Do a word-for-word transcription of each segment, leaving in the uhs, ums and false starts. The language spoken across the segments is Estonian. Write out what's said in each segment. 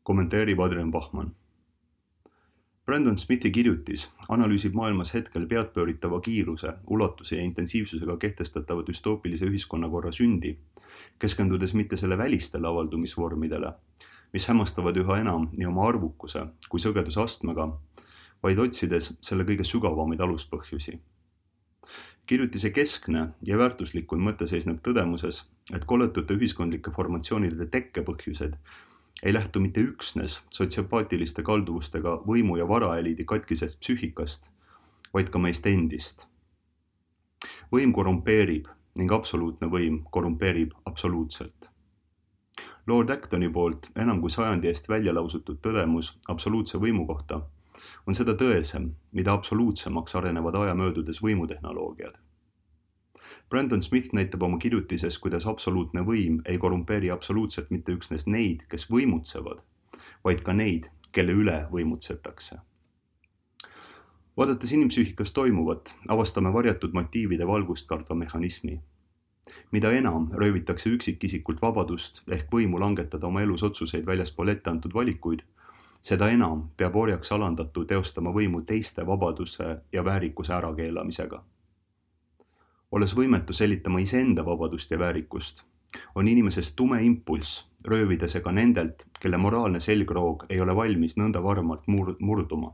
Kommenteerib Adrian Bachmann. Brandon Smithi kirjutis analüüsib maailmas hetkel peadpööritava kiiruse, ulatuse ja intensiivsusega kehtestatava düstoopilise ühiskonnakorra sündi, keskendudes mitte selle välistele avaldumisvormidele, mis hämmastavad üha enam nii oma arvukuse kui sõgedusastmega, vaid otsides selle kõige sügavamaid aluspõhjusi. Kirjutise keskne ja väärtuslikum mõte seisneb tõdemuses, et koletute ühiskondlike formatsioonide tekkepõhjused ei lähtu mitte üksnes sotsiopaatiliste kalduvustega võimu- ja varaeliidi katkisest psüühikast, vaid ka meist endist. Võim korrumpeerib ning absoluutne võim korrumpeerib absoluutselt. Lord Actoni poolt enam kui sajandi eest välja lausutud tõdemus absoluutse võimu kohta on seda tõesem, mida absoluutsemaks arenevad aja möödudes võimutehnoloogiad. Brandon Smith näitab oma kirjutises, kuidas absoluutne võim ei korrumpeeri absoluutselt mitte üksnes neid, kes võimutsevad, vaid ka neid, kelle üle võimutsetakse. Vaadates inimpsüühikas toimuvat, avastame varjatud motiivide valgust kartva mehhanismi. Mida enam röövitakse üksikisikult vabadust ehk võimu langetada oma elus otsuseid väljaspool ette antud valikuid, seda enam peab orjaks alandatu teostama võimu teiste vabaduse ja väärikuse ärakeelamisega. Olles võimetu selitama iseenda vabadust ja väärikust, on inimesest tume impulss röövida see ka nendelt, kelle moraalne selgroog ei ole valmis nõnda varmalt mur- murduma.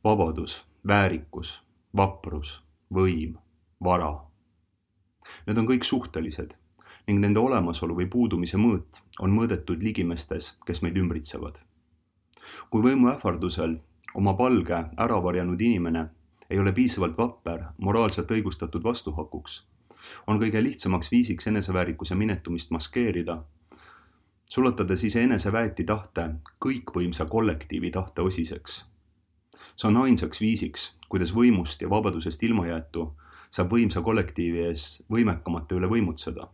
Vabadus, väärikus, vaprus, võim, vara. Need on kõik suhtelised ning nende olemasolu või puudumise mõõt on mõõdetud ligimestes, kes meid ümbritsevad. Kui võimu ähvardusel oma palge ära varjanud inimene ei ole piisavalt vapper, moraalselt õigustatud vastuhakuks, on kõige lihtsamaks viisiks eneseväärikuse minetumist maskeerida, sulatades ise eneseväeti tahte kõikvõimsa kollektiivi tahte osiseks. See on ainsaks viisiks, kuidas võimust ja vabadusest ilmajäetu saab võimsa kollektiivi ees võimekamate üle võimutseda.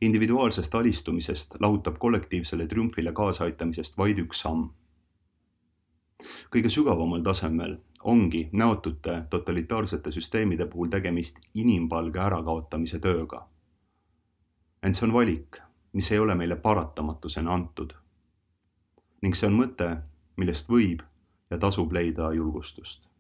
Individuaalsest alistumisest lahutab kollektiivsele triumfile kaasaaitamisest vaid üks samm. Kõige sügavamal tasemel ongi näotute totalitaarsete süsteemide puhul tegemist inimpalge ärakaotamise tööga. Ent see on valik, mis ei ole meile paratamatusena antud. Ning see on mõte, millest võib ja tasub leida julgustust.